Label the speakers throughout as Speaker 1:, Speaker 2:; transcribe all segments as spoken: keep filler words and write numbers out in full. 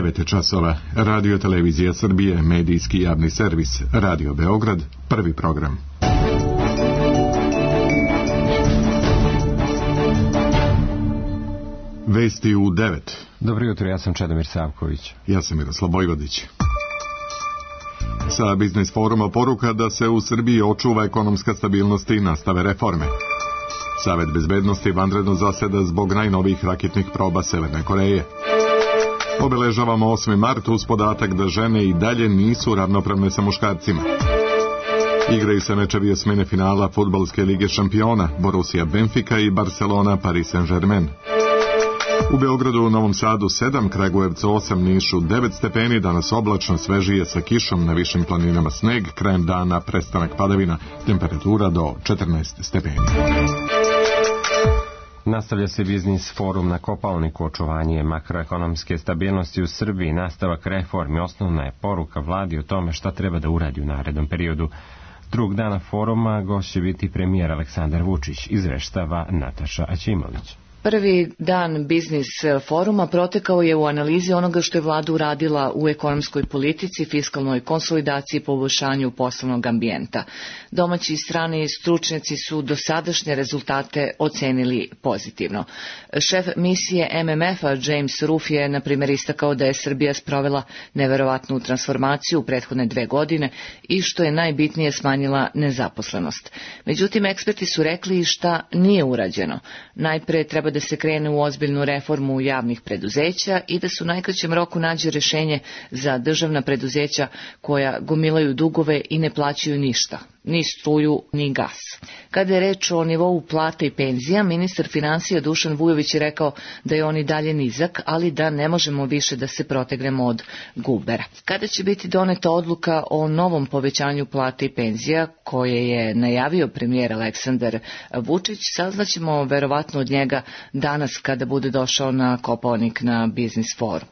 Speaker 1: devet časova. Radio Televizija Srbije, medijski javni servis, Radio Beograd, prvi program. Vesti u devet.
Speaker 2: Dobro jutro, ja sam Čedomir Savković.
Speaker 1: Ja sam Miroslav Vojvodić. Sa Biznis foruma poruka da se u Srbiji očuva ekonomska stabilnost i nastave reforme. Savet bezbednosti vanredno zaseda zbog najnovijih raketnih proba Severne Koreje. Obeležavamo osmi mart uz podatak da žene i dalje nisu ravnopravne sa muškarcima. Igraju se mečevi osmine finala fudbalske lige šampiona, Borussia Benfica i Barcelona Paris Saint-Germain. U Beogradu, u Novom Sadu sedam, Kragujevcu osam, Nišu devet stepeni, danas oblačno, svežije sa kišom, na višim planinama sneg, krajem dana prestanak padavina, temperatura do četrnaest stepeni.
Speaker 2: Nastavlja se Biznis forum na Kopaoniku, očuvanje makroekonomske stabilnosti u Srbiji, nastavak reformi, osnovna je poruka vladi o tome šta treba da uradi u narednom periodu. Drugog dana foruma gost će biti premijer Aleksandar Vučić, izveštava Nataša Aćimović.
Speaker 3: Prvi dan Biznis foruma protekao je u analizi onoga što je vlada uradila u ekonomskoj politici, fiskalnoj konsolidaciji i poboljšanju poslovnog ambijenta. Domaći i strani stručnjaci su dosadašnje rezultate ocenili pozitivno. Šef misije M M F-a James Roof je, na primjer, istakao da je Srbija sprovela neverovatnu transformaciju u prethodne dve godine i što je najbitnije smanjila nezaposlenost. Međutim, eksperti su rekli šta nije urađeno. Najpre treba da se krene u ozbiljnu reformu javnih preduzeća i da se u najkraćem roku nađe rješenje za državna preduzeća koja gomilaju dugove i ne plaćaju ništa, ni struju, ni gas. Kada je reč o nivou plata i penzija, ministar finansija Dušan Vujović je rekao da je on i dalje nizak, ali da ne možemo više da se protegnemo od gubera. Kada će biti doneta odluka o novom povećanju plata i penzija, koje je najavio premijer Aleksandar Vučić, saznaćemo verovatno od njega danas kada bude došao na Kopaonik na Biznis forum.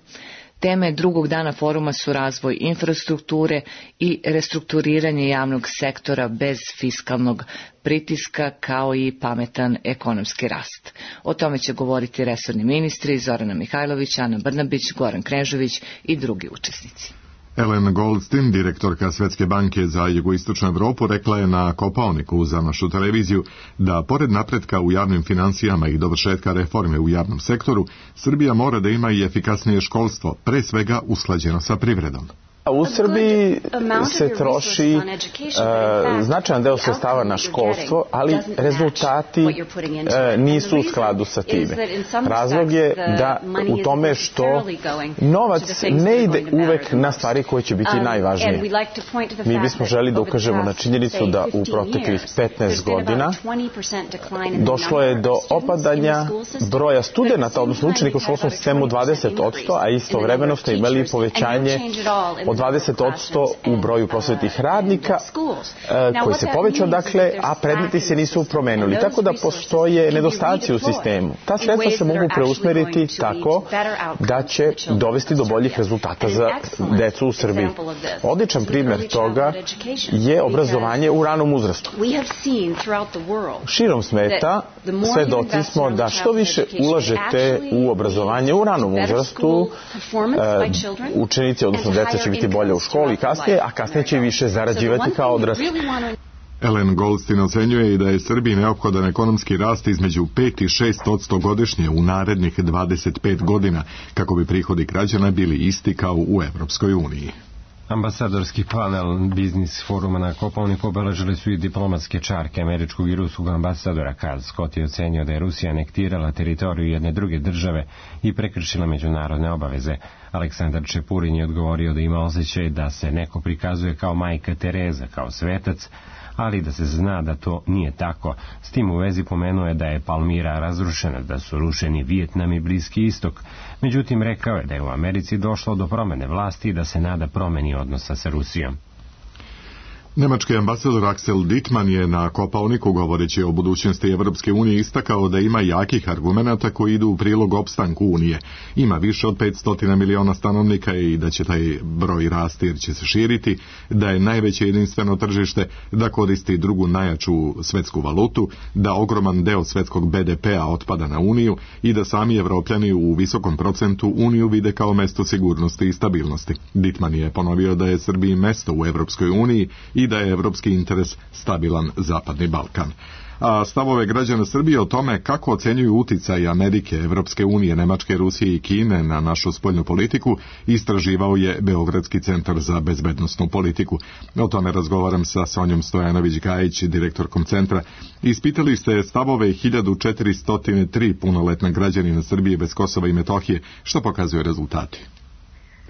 Speaker 3: Teme drugog dana foruma su razvoj infrastrukture i restrukturiranje javnog sektora bez fiskalnog pritiska, kao i pametan ekonomski rast. O tome će govoriti resorni ministri Zorana Mihajlović, Ana Brnabić, Goran Knežević i drugi učesnici.
Speaker 1: Ellen Goldstein, direktorka Svetske banke za jugoistočnu Evropu, rekla je na Kopaoniku za našu televiziju da, pored napretka u javnim finansijama i dovršetka reforme u javnom sektoru, Srbija mora da ima i efikasnije školstvo, pre svega usklađeno sa privredom.
Speaker 4: U Srbiji se troši uh, značajan deo sredstava na školstvo, ali rezultati uh, nisu u skladu sa time. Razlog je da u tome što novac ne ide uvek na stvari koje će biti najvažnije. Mi bismo želi da ukažemo na činjenicu da u proteklih petnaest godina došlo je do opadanja broja studenta, odnosno učenika u školskom sistemu dvadeset posto, a istovremeno smo imali povećanje od dvadeset posto u broju prosvetnih radnika koji se povećao, dakle, a predmeti se nisu promenili. Tako da postoje nedostaci u sistemu. Ta sredstva se mogu preusmeriti tako da će dovesti do boljih rezultata za decu u Srbiji. Odličan primjer toga je obrazovanje u ranom uzrastu. Širom sveta svedoci smo da što više ulažete u obrazovanje u ranom uzrastu, učenici, odnosno deca će biti bolje u školi kasnije, a kasnije će više zarađivati kao odrasli.
Speaker 1: Ellen Goldstein ocenjuje i da je Srbiji neophodan ekonomski rast između pet i šest posto godišnje u narednih dvadeset pet godina, kako bi prihodi građana bili isti kao u Evropskoj uniji.
Speaker 2: Ambasadorski panel Biznis foruma na Kopaoniku obeležili su i diplomatske čarke američkog i ruskog ambasadora. Karl Scott je ocenio da je Rusija anektirala teritoriju jedne druge države i prekršila međunarodne obaveze. Aleksandar Čepurin je odgovorio da ima osjećaj da se neko prikazuje kao majka Tereza, kao svetac, ali da se zna da to nije tako. S tim u vezi pomenuo je da je Palmira razrušena, da su rušeni Vijetnam i Bliski istok. Međutim, rekao je da je u Americi došlo do promene vlasti i da se nada promeni odnosa sa Rusijom.
Speaker 1: Nemački ambasador Axel Dittmann je na Kopaoniku, govoreći o budućnosti Evropske unije, istakao da ima jakih argumenata koji idu u prilog opstanku Unije. Ima više od petsto miliona stanovnika i da će taj broj rasti jer će se širiti, da je najveće jedinstveno tržište, da koristi drugu najjaču svetsku valutu, da ogroman deo svetskog be de pea otpada na Uniju i da sami Evropljani u visokom procentu Uniju vide kao mesto sigurnosti i stabilnosti. Dittmann je ponovio da je Srbiji mesto u Evropskoj uniji i da je evropski interes stabilan Zapadni Balkan. A stavove građana Srbije o tome kako ocenjuju uticaj Amerike, Evropske unije, Nemačke, Rusije i Kine na našu spoljnu politiku istraživao je Beogradski centar za bezbednosnu politiku. O tome razgovaram sa Sonjom Stojanović-Gajić, direktorkom centra. Ispitali ste stavove hiljadu četiristo tri punoletna građanina Srbije bez Kosova i Metohije. Što pokazuju rezultati?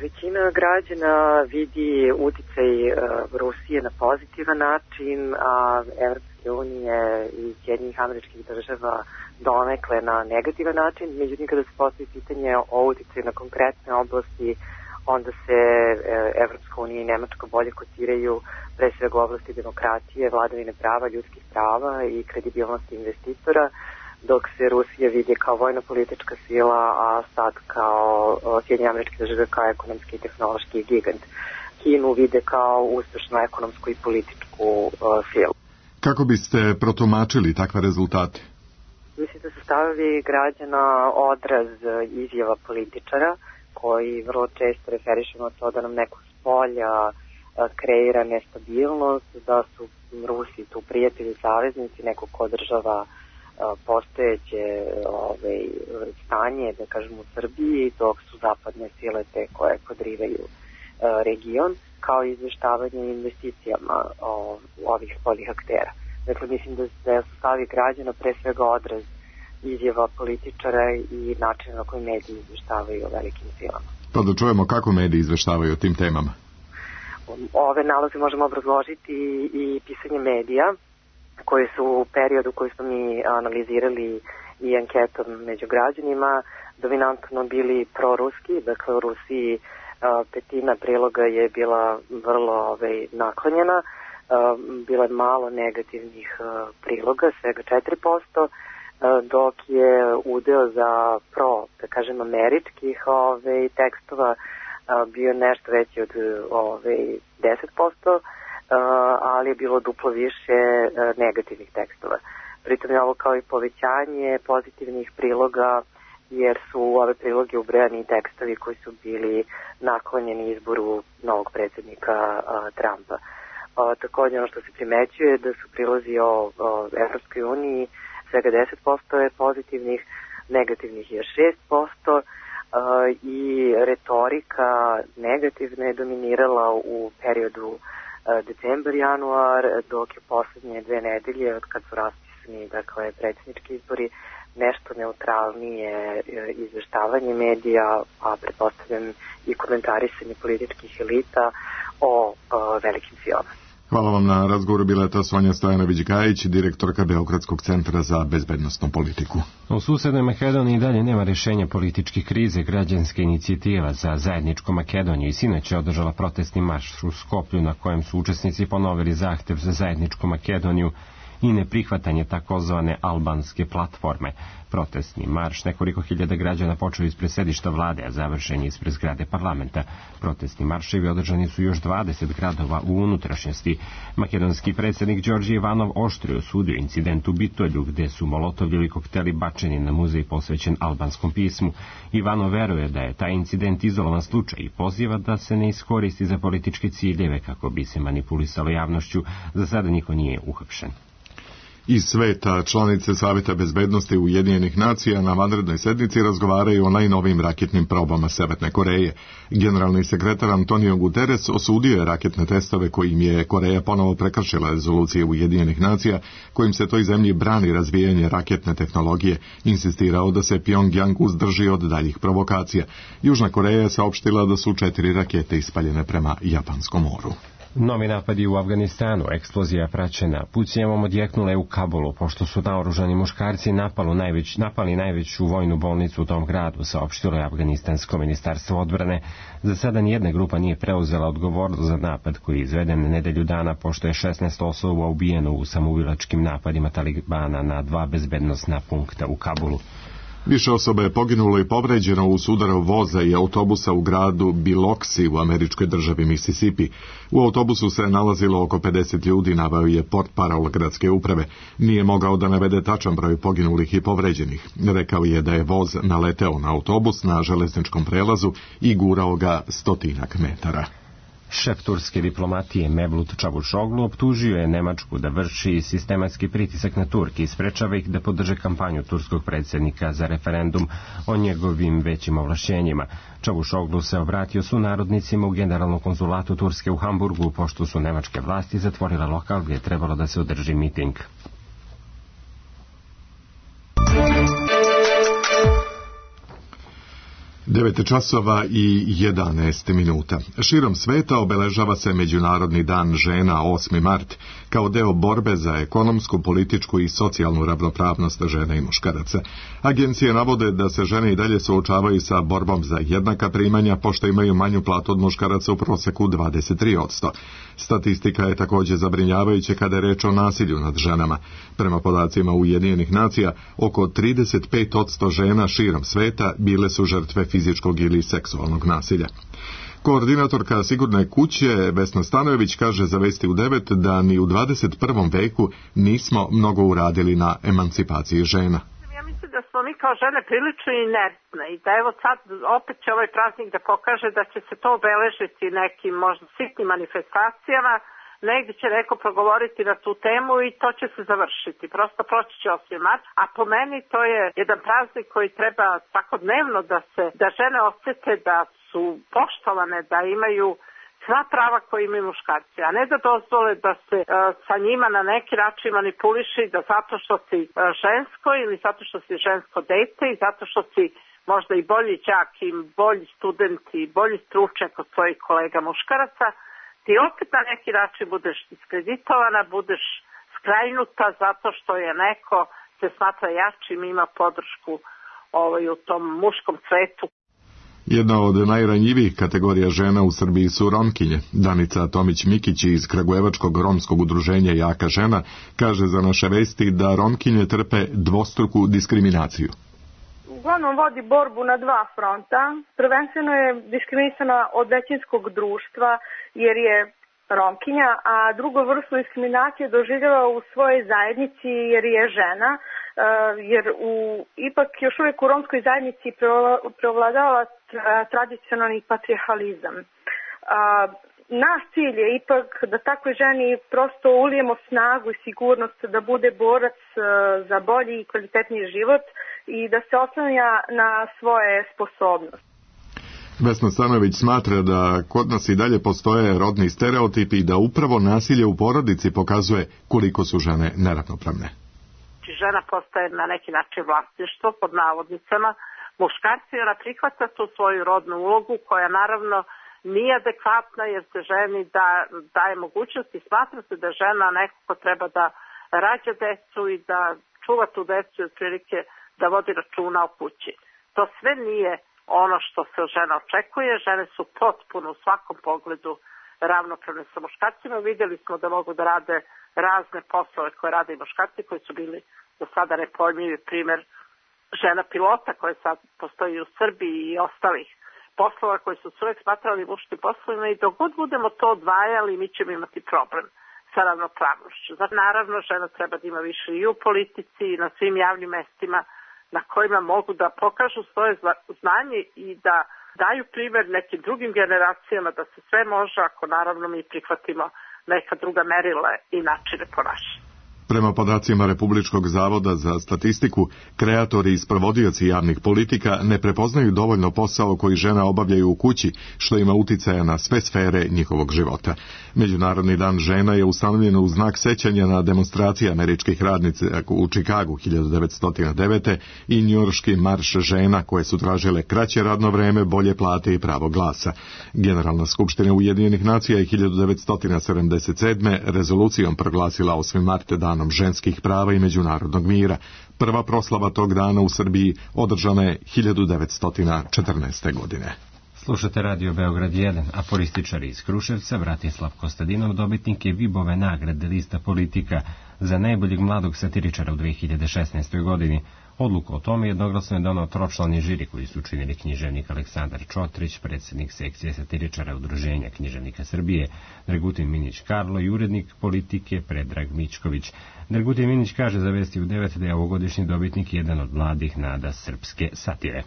Speaker 5: Većina građana vidi uticaj uh, Rusije na pozitivan način, a Evropske unije i Sjedinjenih Američkih Država donekle na negativan način. Međutim, kada se postavi pitanje o uticaju na konkretne oblasti, onda se uh, Evropska unija i Nemačka bolje kotiraju, pre svega u oblasti demokratije, vladavine prava, ljudskih prava i kredibilnosti investitora, dok se Rusija vidi kao vojno-politička sila, a sad kao Sjedinjene Američke Države kao ekonomski i tehnološki gigant. Kinu vide kao uspešnu ekonomsku i političku uh, silu.
Speaker 1: Kako biste protumačili takve rezultate?
Speaker 5: Mislim da su stavovi građana odraz izjava političara koji vrlo često referišu na to da nam neko s polja uh, kreira nestabilnost, da su Rusi tu prijatelji, saveznici, neko ko održava postojeće ove, stanje, da kažem, u Srbiji, dok su zapadne sile te koje podrivaju e, region, kao i izveštavanje investicijama o, ovih spoljnih aktera. Dakle, mislim da, da su stavi građana pre svega odraz izjava političara i načina na koji mediji izveštavaju o velikim silama.
Speaker 1: Pa da čujemo kako mediji izveštavaju o tim temama.
Speaker 5: Ove nalaze možemo obrazložiti i pisanje medija, koji su u periodu koji smo mi analizirali i anketom među građanima dominantno bili proruski. Dakle, u Rusiji petina priloga je bila vrlo ovaj, naklonjena, bilo je malo negativnih priloga, svega četiri posto, dok je udeo za pro, da kažem, američkih ovaj, tekstova bio nešto veći od ovaj, deset posto, Uh, ali je bilo duplo više uh, negativnih tekstova. Pritom je ovo kao i povećanje pozitivnih priloga, jer su u ove priloge ubrojani tekstovi koji su bili naklonjeni izboru novog predsjednika uh, Trumpa. Uh, također ono što se primećuje je da su prilozi o, o Evropskoj uniji svega deset posto je pozitivnih, negativnih je šest posto uh, i retorika negativna je dominirala u periodu decembar, januar, dok je poslednje dve nedelje od kad su raspisani, dakle, predsjednički izbori, nešto neutralnije izveštavanje medija, a pretpostavljam i komentarisanje političkih elita o, o velikim silama.
Speaker 1: Hvala vam na razgovoru. Bila je to Sonja Stojanović-Gajić, direktorka Beogradskog centra za bezbednosnu politiku.
Speaker 2: U susednoj Makedoniji i dalje nema rješenja političke krize. Građanska inicijativa za zajedničku Makedoniju i sinoć je održala protestni marš u Skoplju na kojem su učesnici ponovili zahtev za zajedničku Makedoniju i neprihvatanje takozvane albanske platforme. Protestni marš nekoliko hiljada građana počeo ispred sedišta vlade, a završen je ispred zgrade parlamenta. Protestni marševi održani su još dvadeset gradova u unutrašnjosti. Makedonski predsjednik Đorđe Ivanov oštrio osudio incident u Bitolju, gde su molotovljevi kokteli bačeni na muzej posvećen albanskom pismu. Ivanov veruje da je taj incident izolovan slučaj i poziva da se ne iskoristi za političke ciljeve kako bi se manipulisalo javnošću. Za sada niko nije uhapšen.
Speaker 1: Iz sveta članice Saveta bezbednosti Ujedinjenih nacija na vanrednoj sednici razgovaraju o najnovijim raketnim probama Severne Koreje. Generalni sekretar Antonio Guterres osudio je raketne testove kojim je Koreja ponovo prekršila rezolucije Ujedinjenih nacija, kojim se toj zemlji brani razvijanje raketne tehnologije, insistirao da se Pjongjang uzdrži od daljih provokacija. Južna Koreja je saopštila da su četiri rakete ispaljene prema Japanskom moru.
Speaker 2: Novi napadi u Afganistanu, eksplozija praćena pucnjavom, odjeknule u Kabulu, pošto su naoružani muškarci napali, najveć, napali najveću vojnu bolnicu u tom gradu, saopštilo je Afganistansko ministarstvo odbrane. Za sada nijedna grupa nije preuzela odgovornost za napad koji je izveden nedelju dana, pošto je šesnaest osoba ubijeno u samoubilačkim napadima Talibana na dva bezbednosna punkta u Kabulu.
Speaker 1: Više osoba je poginulo i povređeno u sudaru voza i autobusa u gradu Biloxi u američkoj državi Mississippi. U autobusu se nalazilo oko pedeset ljudi, naveo je portparol gradske uprave. Nije mogao da navede tačan broj poginulih i povređenih. Rekao je da je voz naleteo na autobus na železničkom prelazu i gurao ga stotinak metara.
Speaker 2: Šef turske diplomatije Mevlut Čavuşoglu optužio je Nemačku da vrši sistematski pritisak na Turke i sprečava ih da podrže kampanju turskog predsjednika za referendum o njegovim većim ovlašćenjima. Čavuşoglu se obratio sunarodnicima u generalnom konzulatu Turske u Hamburgu, pošto su nemačke vlasti zatvorile lokal gdje je trebalo da se održi miting.
Speaker 1: devet časova i jedanaest minuta. Širom sveta obeležava se Međunarodni dan žena osmi mart kao deo borbe za ekonomsku, političku i socijalnu ravnopravnost žena i muškaraca. Agencije navode da se žene i dalje suočavaju sa borbom za jednaka primanja, pošto imaju manju platu od muškaraca u proseku dvadeset tri posto. Statistika je također zabrinjavajuća kada je reč o nasilju nad ženama. Prema podacima Ujedinjenih nacija, oko trideset pet posto žena širom sveta bile su žrtve fizičkog ili seksualnog nasilja. Koordinatorka Sigurne kuće Vesna Stanojević kaže za Vesti u devet da ni u dvadeset prvom veku nismo mnogo uradili na emancipaciji žena.
Speaker 6: Ja mislim da smo mi kao žene prilično inertne i da evo sad opet će ovaj praznik da pokaže da će se to obeležiti nekim možda sitnim manifestacijama, negdje će neko progovoriti na tu temu i to će se završiti. Prosto proći će osmi mart, a po meni to je jedan praznik koji treba svakodnevno da se, da žene osjete da su poštovane, da imaju sva prava koje imaju muškarci, a ne da dozvole da se uh, sa njima na neki način manipuliši, da zato što si uh, žensko ili zato što si žensko dete i zato što si možda i bolji đak i bolji student i bolji stručnjak od svojih kolega muškaraca, ti opet na neki način budeš diskreditovana, budeš skrajnuta zato što je neko se smatra jačim, ima podršku ovaj, u tom muškom svetu.
Speaker 1: Jedna od najranjivijih kategorija žena u Srbiji su Romkinje. Danica Tomić-Mikić iz Kragujevačkog romskog udruženja Jaka žena kaže za naše vesti da Romkinje trpe dvostruku diskriminaciju.
Speaker 7: Uglavnom vodi borbu na dva fronta. Prvenstveno je diskriminisana od većinskog društva jer je Romkinja, a drugu vrstu diskriminacije doživljava u svojoj zajednici jer je žena, jer u, ipak još uvijek u romskoj zajednici preovladava tradicionalni patrijarhalizam. Naš cilj je ipak da takvoj ženi prosto ulijemo snagu i sigurnost da bude borac za bolji i kvalitetniji život i da se oslanja na svoje sposobnosti.
Speaker 1: Vesna Stanojević smatra da kod nas i dalje postoje rodni stereotipi i da upravo nasilje u porodici pokazuje koliko su žene neravnopravne.
Speaker 6: Žena postaje na neki način vlasništvo pod navodnicama. Muškarci ona prihvata tu svoju rodnu ulogu koja naravno nije adekvatna jer se ženi da, daje mogućnost i smatra se da žena neko ko treba da rađa decu i da čuva tu decu i otprilike da vodi računa o kući. To sve nije ono što se od žena očekuje. Žene su potpuno u svakom pogledu ravnopravne sa muškarcima. Vidjeli smo da mogu da rade razne poslove koje rade i muškarci koji su bili do sada nepojmljivi, primjer žena pilota koje sad postoji u Srbiji i ostalih poslova koji su se uvijek smatrali muškim poslovima i dok god budemo to odvajali mi ćemo imati problem sa ravnopravnošću. Zato naravno žena treba da ima više i u politici i na svim javnim mestima na kojima mogu da pokažu svoje znanje i da daju primjer nekim drugim generacijama da se sve može ako naravno mi prihvatimo neka druga merila i načine ponašanja.
Speaker 1: Prema podacima Republičkog zavoda za statistiku, kreatori i sprovodioci javnih politika ne prepoznaju dovoljno posao koji žena obavljaju u kući, što ima uticaja na sve sfere njihovog života. Međunarodni dan žena je ustanovljen u znak sećanja na demonstracije američkih radnica u Čikagu hiljadu devetsto devete. i njujorški marš žena koje su tražile kraće radno vreme, bolje plate i pravo glasa. Generalna skupština Ujedinjenih nacija je hiljadu devetsto sedamdeset sedme. rezolucijom proglasila osmi mart danom ženskih prava i međunarodnog mira. Prva proslava tog dana u Srbiji održana je hiljadu devetsto četrnaeste. godine.
Speaker 2: Slušate Radio Beograd jedan, aforističari iz Kruševca, Bratislav Kostadinov, dobitnik je Vibove nagrade Lista Politika za najboljeg mladog satiričara u dve hiljade šesnaestoj. godini. Odluku o tome jednoglasno je donao tročlani žiri koji su učinili književnik Aleksandar Čotrić, predsjednik sekcije satiričara Udruženja književnika Srbije, Dragutin Minić Karlo i urednik Politike Predrag Mićković. Dragutin Minić kaže za Vesti u devet da je ovogodišnji dobitnik jedan od mladih nada srpske satire.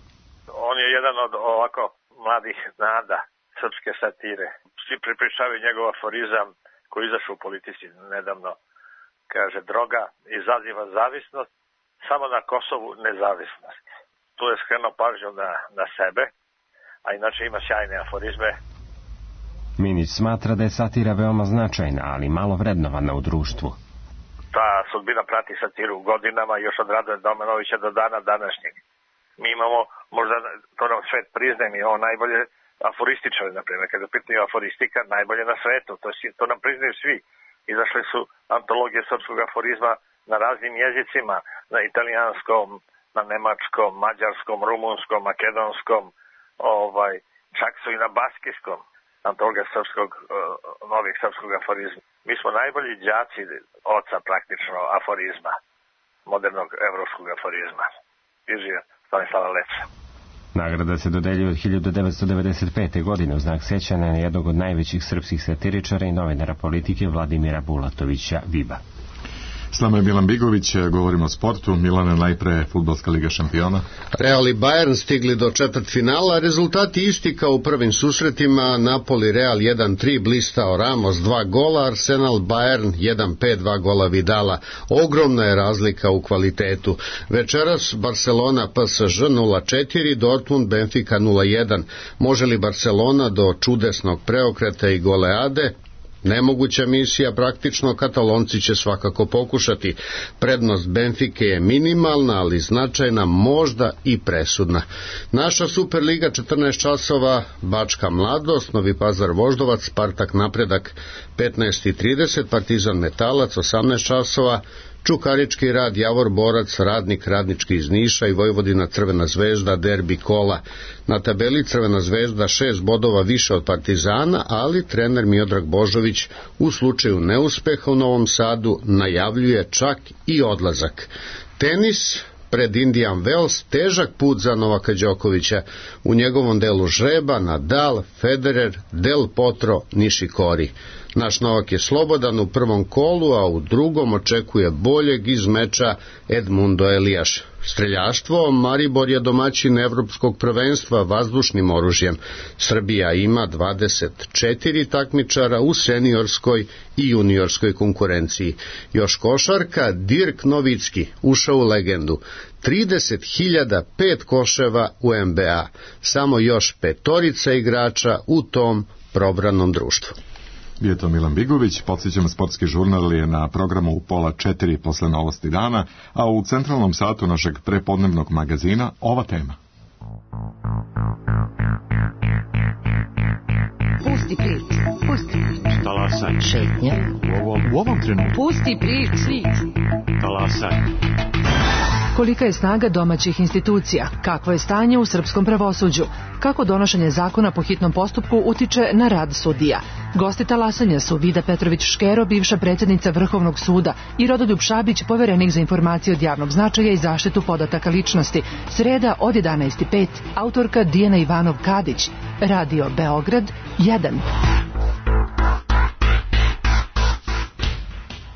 Speaker 8: On je jedan od ovako mladih nada srpske satire. Svi prepričavaju njegov aforizam koji izašao u Politici nedavno. Kaže, droga izaziva zavisnost, samo na Kosovu nezavisnost. Tu je skrenuo pažnju na, na sebe, a inače ima sjajne aforizme.
Speaker 2: Minić smatra da je satira veoma značajna, ali malo vrednovana u društvu.
Speaker 8: Ta sudbina prati satiru godinama još od Radoja Domanovića do dana današnjeg. Mi imamo, možda to nam svet priznaje, mi imamo najbolje aforističare, na primjer, kada pitaju aforistika, najbolje na svetu, to, to nam priznaju svi. Izašle su antologije srpskog aforizma na raznim jezicima, na italijanskom, na nemačkom, mađarskom, rumunskom, makedonskom, ovaj, čak su i na baskijskom antologija srpskog, novih srpskog aforizma. Mi smo najbolji đaci oca praktično aforizma, modernog evropskog aforizma. Ižija Stanislava Leca.
Speaker 2: Nagrada se dodeljuje od hiljadu devetsto devedeset pete. godine u znak sećanja na jednog od najvećih srpskih satiričara i novinara politike Vladimira Bulatovića Viba.
Speaker 1: S nama je Milan Bigović, govorimo o sportu. Milane, najpre Fudbalska liga šampiona.
Speaker 9: Real i Bayern stigli do četvrtfinala, rezultati isti kao u prvim susretima. Napoli Real jedan tri, blistao Ramos dva gola, Arsenal Bayern jedan pet, dva gola Vidala. Ogromna je razlika u kvalitetu. Večeras Barcelona P S Ž nula četiri, Dortmund Benfica nula jedan. Može li Barcelona do čudesnog preokreta i goleade? Nemoguća misija, praktično Katalonci će svakako pokušati. Prednost Benfike je minimalna, ali značajna, možda i presudna. Naša Superliga četrnaest časova, Bačka Mladost, Novi Pazar Voždovac, Spartak Napredak petnaest i trideset, Partizan Metalac osamnaest časova, Čukarički Rad, Javor Borac, Radnik, Radnički iz Niša i Vojvodina Crvena zvezda, derbi kola. Na tabeli Crvena zvezda šest bodova više od Partizana, ali trener Miodrag Božović u slučaju neuspeha u Novom Sadu najavljuje čak i odlazak. Tenis, pred Indian Wells, težak put za Novaka Đokovića. U njegovom delu žreba Nadal, Federer, Del Potro, Nishikori. Naš Novak je slobodan u prvom kolu, a u drugom očekuje boljeg iz meča Edmundo Elijaš. Streljaštvo, Maribor je domaćin evropskog prvenstva vazdušnim oružjem. Srbija ima dvadeset četiri takmičara u seniorskoj i juniorskoj konkurenciji. Još košarka, Dirk Novicki ušao u legendu. trideset hiljada pet koševa u N B A. Samo još petorica igrača u tom probranom društvu.
Speaker 1: Bio je to Milan Bigović, podsjećamo sportski žurnal je na programu u pola četiri posle novosti dana, a u centralnom satu našeg prepodnevnog magazina ova tema.
Speaker 10: Pusti prič, pusti prič.
Speaker 11: Talasaj.
Speaker 10: Šetnja.
Speaker 11: U ovom, u ovom trenutku.
Speaker 10: Pusti prič.
Speaker 11: Talasaj.
Speaker 12: Kolika je snaga domaćih institucija? Kakvo je stanje u srpskom pravosuđu? Kako donošenje zakona po hitnom postupku utiče na rad sudija? Gosti talasanja su Vida Petrović Škero, bivša predsjednica Vrhovnog suda, i Rodoljub Šabić, poverenik za informacije od javnog značaja i zaštitu podataka ličnosti. Sreda od jedanaest i pet, autorka Dijana Ivanov Kadić. Radio Beograd jedan.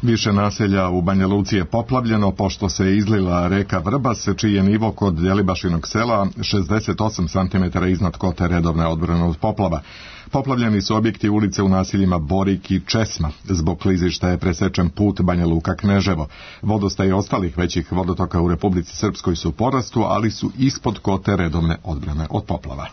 Speaker 1: Više naselja u Banja Luci je poplavljeno pošto se izlila reka Vrbas, čiji je nivo kod Djelibašinog sela šezdeset osam centimetara iznad kote redovne odbrane od poplava. Poplavljeni su objekti ulice u naseljima Borik i Česma. Zbog klizišta je presečen put Banja Luka-Kneževo. Vodostaj ostalih većih vodotoka u Republici Srpskoj su u porastu, ali su ispod kote redovne odbrane od poplava.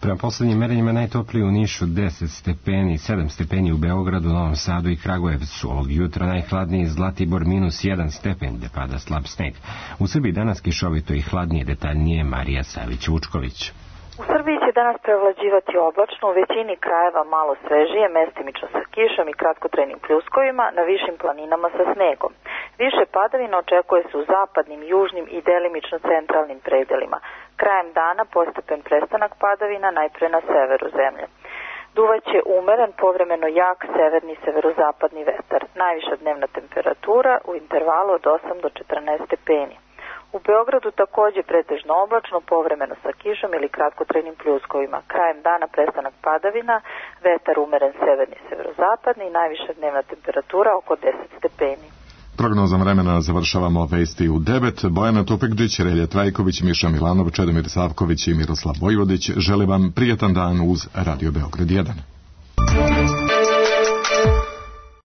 Speaker 2: Prema poslednjim merenjima najtopliji u Nišu deset stepeni, sedam stepeni u Beogradu, Novom Sadu i Kragujevcu. Ovog jutra najhladniji Zlatibor minus jedan stepen, gde pada slab sneg. U Srbiji danas kišovito i hladnije, detaljnije Marija Savić-Vučković.
Speaker 13: U Srbiji će danas prevlađivati oblačno, u većini krajeva malo svežije, mestimično sa kišom i kratkotrajnim pljuskovima, na višim planinama sa snegom. Više padavina očekuje se u zapadnim, južnim i delimično centralnim predelima. Krajem dana postepen prestanak padavina najpre na severu zemlje. Duvaće umeren, povremeno jak severni severozapadni vetar. Najviša dnevna temperatura u intervalu od osam do četrnaest stepeni. U Beogradu takođe pretežno oblačno, povremeno sa kišom ili kratkotrajnim pljuskovima. Krajem dana prestanak padavina, vetar umeren severni severozapadni i najviša dnevna temperatura oko deset stepeni.
Speaker 1: Prognozom vremena završavamo vesti u devet. Bojana Tupekđić, Relja Trajković, Miša Milanov, Čedomir Savković i Miroslav Vojvodić žele vam prijetan dan uz Radio Beograd jedan.